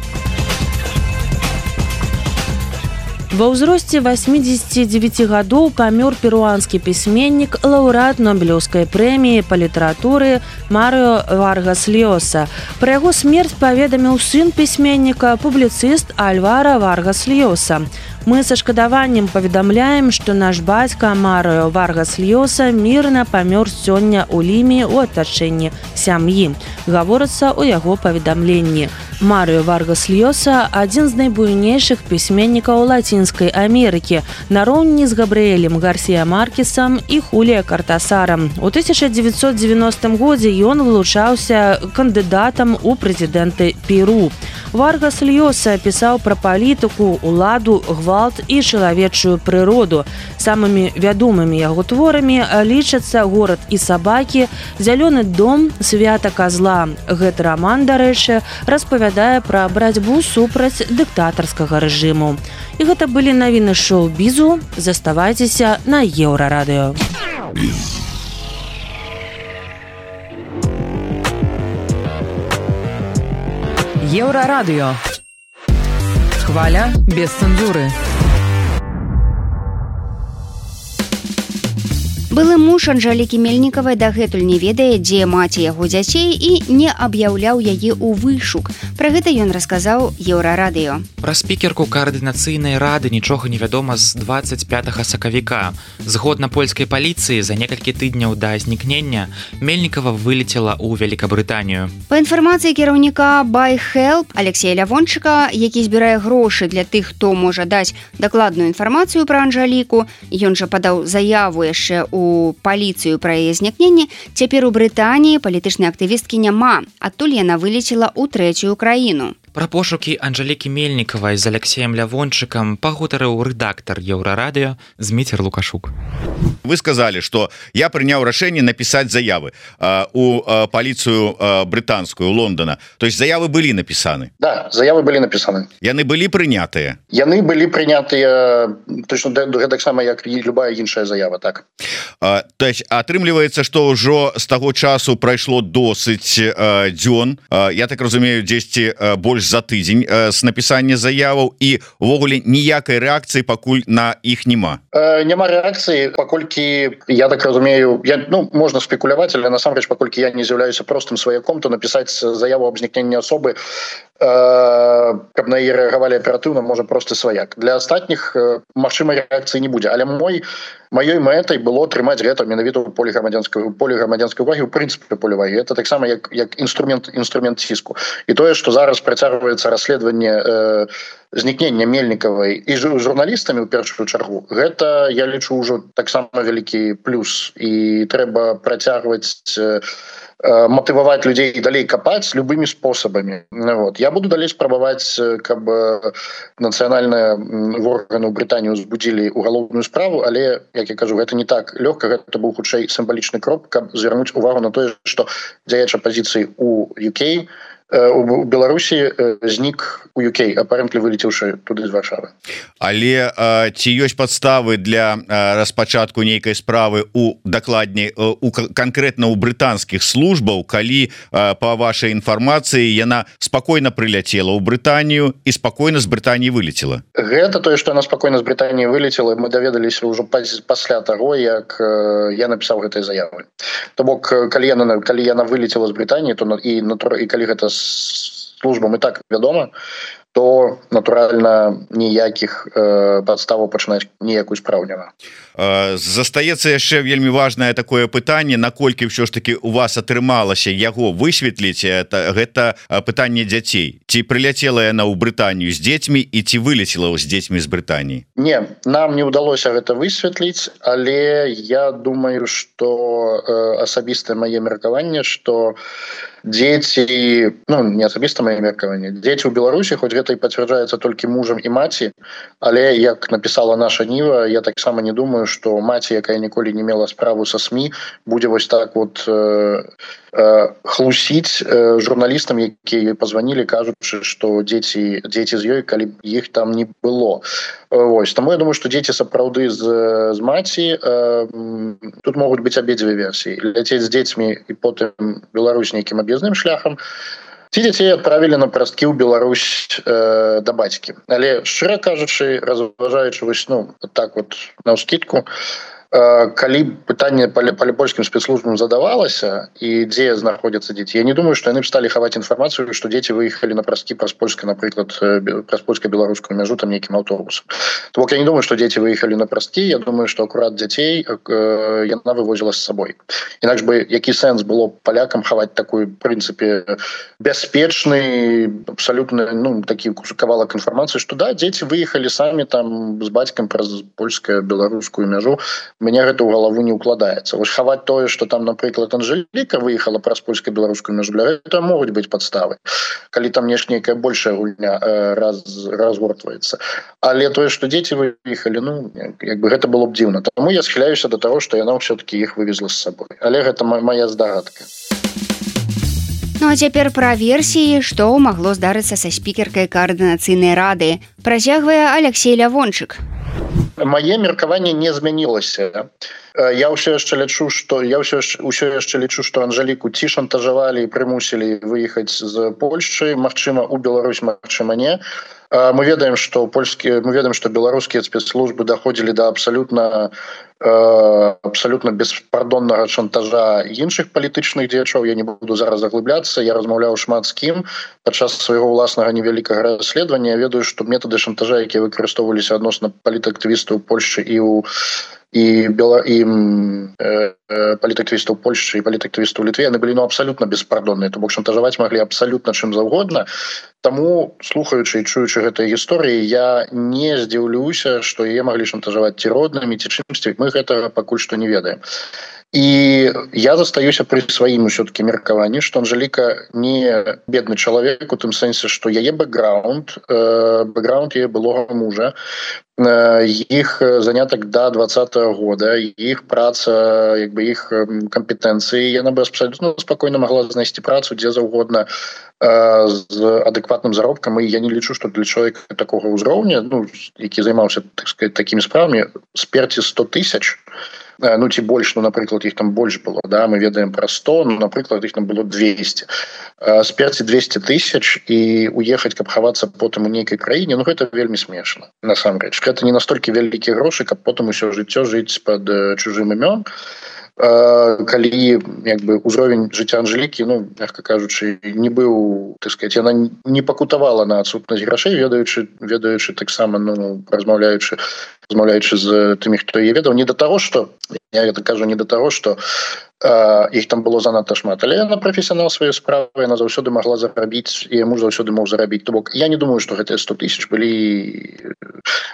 Ва ўзросце восьмидесяти девяти гадоў памёр перуанскі пісьменнік, лаўрэат Нобелеўскай прэміі па літаратуры Марыо Варгас Льоса. Пра яго смерць паведаміў сын пісьменніка, публіцыст Альвара Варгас Льоса. Мы са шкадаваннем паведамляем, што наш бацька Марыо Варгас Льоса мірна памёр сёння ў Ліме ў атачэнні сям'і. Гаворыцца ў яго паведамленні. Марыо Варгас Льоса – адзін з найбуйнейшых пісьменнікаў Лацінскай Амерыкі, нароўні з Габрыэлем Гарсія Маркесам і Хулія Картасарам. У тысяча дзевяцьсот девяностым годзе ён вылучаўся кандыдатам у прэзідэнты Перу. Варгас Льоса пісаў пра палітыку, уладу, гвалт і чалавечую прыроду. Самымі вядомымі яго творамі лічацца «Горад і сабакі», «Зялёны дом», «Свята казла». Гэты раман, дарэчы, распавядае пра барацьбу супраць дыктатарскага рэжыму. І гэта былі навіны шоу-бізу. Заставайцеся на Еўрарадыё.
Еўрарадыё. Хваля без цэнзуры.
Былы муж Анжэлікі Мельнікавай дагэтуль не ведае, дзе маці яго дзяцей, і не аб'яўляў яе ў вышук. Пра гэта ён расказаў Еўрарадыё.
Пра спікерку каардынацыйнай рады нічога не вядома з двадцать пятага сакавіка. Згодна польскай паліцыі, за некалькі тыдняў да знікнення Мельнікава вылецела ў Вялікабрытанію.
Па інфармацыі кіраўніка Buy Help Алексея Лявончыка, які збірае грошы для тых, хто можа даць дакладную інфармацыю пра Анжэліку, ён жа падаў заяву яшчэ ў паліцыю пра яе знікненне, цяпер у Брытаніі палітычнай актывісткі няма, адтуль яна вылецела ў трэцюю краіну.
Пра пошукі Анжэлікі Мельнікавай з Алексеем Лявончыкам пагутарыў рэдактар Еўрарадыё Зміцер Лукашук.
Вы сказали, что я прыняў рашэнне напісаць заявы э, у э, паліцыю э, брытанскую Лондона. То есть заявы былі напісаны?
Да, заявы былі напісаны.
Яны былі прынятыя?
Яны былі прынятыя точно таксама, як і любая іншая заява, так.
Э, то есть атрымліваецца, што ўжо з таго часу прайшло досыць э, дзён. Э, я так разумею, дзесьці э, больш за тыдзень э, з напісання заяваў, і увогуле ніякай рэакцыі пакуль на іх няма.
Э, няма рэакцыі, паколькі я так разумею, я, ну, можна спекуляваць, але насамрэч, паколькі я не з'яўляюся простым сваяком, то напісаць заяву аб знікненні асобы, э, каб на яе рэагавалі аператыўна, можа просты сваяк. Для астатніх э, магчымай рэакцыі не будзе, але мой маёй мэтай было трымаць гэта менавіта ў полі грамадзянскай полі грамадзянскай увагі, у прынцыпе полі увагі. Это таксама як як інструмент інструмент ціску. І тое, што зараз працягваецца расследаванне э, знікнення Мельнікавай і журналістамі ў першую чаргу, гэта я лічу ўжо таксама вялікі плюс, і трэба працягваць э, матываваць людзей далей капаць любымі спосабамі. Вот. Я буду далей спрабаваць, каб нацыянальныя органы ў Брытаніі узбудзілі угалоўную справу, але, як я кажу, гэта не так лёгка, гэта быў хутчэй сімвалічны крок, каб звярнуць увагу на тое, што дзеяч апазіцыі ў ю кей у Беларусі знік у ю кей, апарэнтлі вылецеўшы туды з Варшавы.
Але а, ці ёсць падставы для а, распачатку нейкай справы у дакладней у канкрэтна ў брытанскіх службаў, калі а, па вашай інфармацыі яна спакойна прыляцела ў Брытанію і спакойна з Брытаніі вылецела?
Гэта тое, што яна спакойна з Брытаніі вылецела, мы даведаліся ўжо пасля таго, як я напісаў гэтай заявы. То бок, калі яна, калі яна вылецела з Брытаніі, то і, і калі гэта службам і так вядома, то, натуральна, ніякіх э, падставаў пачынаць ніякую справу няма.
Застаецца яшчэ вельмі важнае такое пытанне, наколькі ўсё ж таки у вас атрымалася яго высветліць, это, гэта пытанне дзяцей. Ці прыляцела яна ў Брытанію з дзецьмі і ці вылецела з дзецьмі з Брытаніі?
Не, нам не ўдалося гэта высветліць, але я думаю, што э, асабістае мае меркаванне, што дзеці, ну не асабіста мае меркаванне, дзеці ў Беларусі хоць гэта і пацвярджаецца толькі мужам і маці, але як напісала наша Ніва, я таксама не думаю, што маці, якая ніколі не мела справу са СМІ, будзе вось так вот э, э, хлусіць э, журналістам, якія пазванілі, кажучы, што дзеці дзеці з ёй, калі іх там не было. Вось, таму я думаю, што дзеці сапраўды з, з маці, э, тут могуць быць абедзве версіі. Ляцець з дзецьмі і потым Беларусь нейкім аб'язным шляхам, ці дзяцей адправілі на прасткі ў Беларусь э, да бацькі. Але шчыра кажучы, разважаючы вось, ну, так вот наўскідку, калі пытанне па польскім спецслужбам задавалася і дзе знаходзяцца дзеці, я не думаю, што яны б сталі хаваць інфармацыю, што дзеці выехалі на прасткі праз польска, напрыклад, праз польска-беларускую мяжу там нейкім аўтобусам. То бок я не думаю, што дзеці выехалі на прасткі, я думаю, што акурат дзяцей яна вывозіла з сабой. Інакш бы які сэнс было палякам хаваць такую, в прынцыпе, бяспечны, абсалютна, ну, такі кавалак інфармацыі, што да, дзеці выехалі самі там з бацькам праз польска-беларускую мяжу. Мне гэта ў галаву не ўкладаецца. Вось хаваць тое, што там, напрыклад, Анжэліка выехала праз польска-беларускую мяжу, для гэта могуць быць падставы, калі там нешта большая гульня э, раз, разгортваецца. Але тое, што дзеці выехалі, ну, як бы гэта было б дзіўна. Таму я схіляюся да таго, што яна ўсё-такі іх вывезла з сабой. Але гэта моя здагадка.
Ну а цяпер пра версіі, што магло здарыцца са спікеркай каардынацыйнай рады. Працягвае Алексей Лявончык.
Мае меркаванне не змянілася. Я ўсё яшчэ лічу, што я ўсё ўсё яшчэ лічу, што Анжэліку ці шантажавалі і прымусілі выехаць з Польшчы, магчыма, у Беларусь, магчыма, не. Мы ведаем, што польскія, мы ведаем, што беларускія спецслужбы даходзілі да абсалютна абсалютна беспардоннага шантажа іншых палітычных дзеячоў. Я не буду зараз заглыбляцца, я размаўляў шмат з кім падчас свайго ўласнага невялікага расследавання. Я ведаю, што метады шантажа, якія выкарыстоўваліся адносна палітактывістаў Польшчы і ў і бела і э, палітактывістаў Польшчы і палітактывістаў Літве, яны былі ну абсалютна беспардонныя, то бок шантажаваць маглі абсалютна чым заўгодна. Таму, слухаючы і чуючы гэтыя гісторыі, я не здзіўлюся, што яе маглі шантажаваць ці роднымі, ці чымсьці. Мы гэтага пакуль што не ведаем. І я застаюся пры сваім усё-такі меркаванні, што Анжэліка не бедны чалавек у тым сэнсе, што яе бэкграунд, э, бэкграунд яе былога мужа, іх занятак да двадцатого года, іх праца, як бы іх кампетэнцыі, яна бы абсалютна спакойна магла знайсці працу дзе заўгодна з адэкватным заробкам, і я не лічу, што для чалавека такога ўзроўня, ну, які займаўся, так сказать, такімі справамі, сперці сто тысяч, ну ці больш, ну, напрыклад, іх там больш было, да, мы ведаем пра сто, ну, напрыклад, іх там было двести. Сперці двести тысяч і уехаць, каб хавацца потым у нейкай краіне, ну, гэта вельмі смешна, насамрэч. Гэта не настолькі вялікія грошы, каб потым усё жыццё жыць пад чужым імём. Калі як бы ўзровень жыцця Анжэлікі, ну, мягка кажучы, не быў, так сказать, яна не пакутавала на адсутнасць грошай, ведаючы, ведаючы таксама, ну, размаўляючы, размаўляючы з тымі, хто яе ведаў, не да таго, што, я гэта кажу, не да таго, што э, іх там было занадта шмат, але яна прафесіянал сваёй справы, яна заўсёды магла зарабіць, і муж заўсёды мог зарабіць. То бок, я не думаю, што гэтыя сто тысяч былі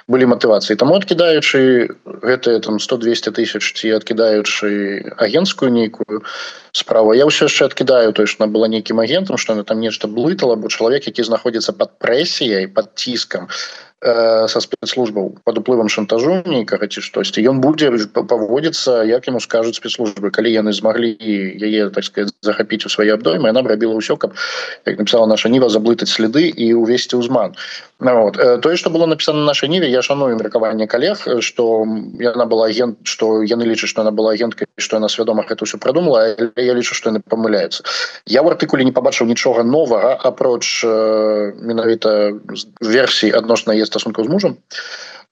былі матывацыі. Таму адкідаючы гэтыя там сто-двесте тысяч ці адкідаючы агенцкую нейкую справу, я ўсё яшчэ адкідаю тое, што она была нейкім агентам, што она там нешта блытала, бо чалавек, які знаходзіцца пад прэсіяй, пад ціскам са спецслужбаў, пад уплывам шантажу нейкага ці штосьці, ён будзе паводзіцца, як яму скажуць спецслужбы. Калі яны змаглі яе, так сказать, захапіць у свае абдоймы, яна б рабіла ўсё, каб, як напісала наша Ніва, заблытаць сліды і увесці ўзман. Вот. Тое, што было напісана на нашай Ніве, я шаную меркаванне калег, што яна была агент, што яны лічаць, што яна была агенткай, што яна свядома гэта ўсё прадумала, але я лічу, што яны памыляюцца. Я ў артыкуле не пабачыў нічога новага, апроч э, менавіта версій адносна яе стасункаў з мужам.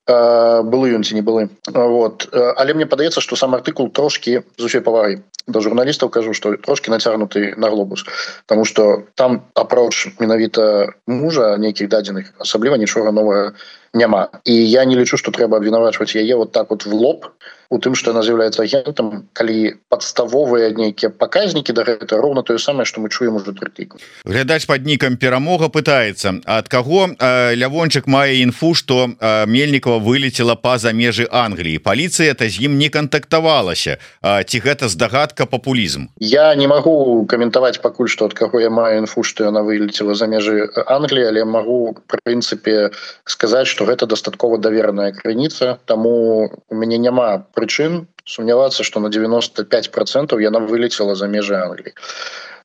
Былы ён ці не былы. Вот. Але мне падаецца, што сам артыкул трошкі, з усёй павагай да журналістаў кажу, што трошкі нацягнуты на глобус. Таму што там апроч менавіта мужа нейкіх дадзеных асабліва нічога новага няма. І я не лічу, што трэба абвінавачваць яе вот так вот в лоб у тым што яна з'яўляецца агентам, калі падставовыя нейкія паказнікі да гэта роўна тое самае што мы чуем уже тры тыдні.
Глядач пад нікам перамога пытаецца, ад каго э, Лявончык мае інфу, што э, Мельнікова вылецела па-за межы Англіі. Паліцыя та з ім не кантактавалася. Э, ці гэта здагадка, папулізм?
Я не магу каментаваць пакуль што ад каго я маю інфу, што яна вылецела за межы Англіі, але магу в прынцыпе сказаць, што гэта дастаткова давераная крыніца, таму у мяне няма прычын сумнявацца, што на девяносто пять процентов яна вылецела за межы Англіі.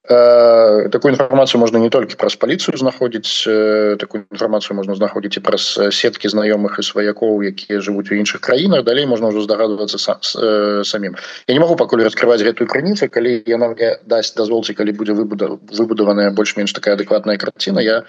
Э, такую інфармацыю можна не толькі праз паліцыю знаходзіць, э, такую інфармацыю можна знаходзіць і праз сеткі знаёмых і сваякоў, якія жывуць у іншых краінах, далей можна ўжо здагадвацца сам, э, самім. Я не магу пакуль раскрываць гэтую крыніцу, калі яна мне дасць дазвол, ці калі будзе выбудаваная больш-менш такая адэкватная карціна, я,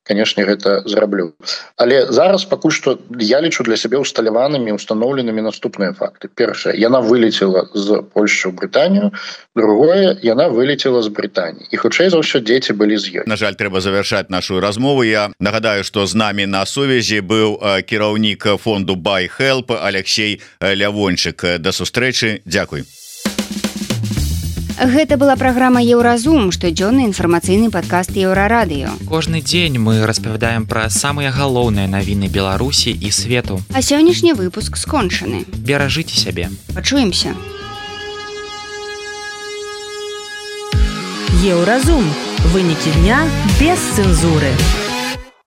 канешне, гэта зраблю. Але зараз пакуль што я лічу для сябе усталяванымі, устаноўленымі наступныя факты. Першае, яна вылецела з Польшчы ў Брытанію, другое, яна вылецела з Брытаніі. І хутчэй за ўсё дзеці былі з ёй.
На жаль, трэба завяршаць нашу размову. Я нагадаю, што з намі на сувязі быў кіраўнік фонду Buy Help Алексей Лявончык. Да сустрэчы, дзякуй.
Гэта была праграма Еўразум, штодзённы інфармацыйны падкаст Еўрарадыё.
Кожны дзень мы распавядаем пра самыя галоўныя навіны Беларусі і свету.
А сённяшні выпуск скончаны.
Беражыце сябе.
Пачуемся.
Еўразум. Вынікі дня без цэнзуры.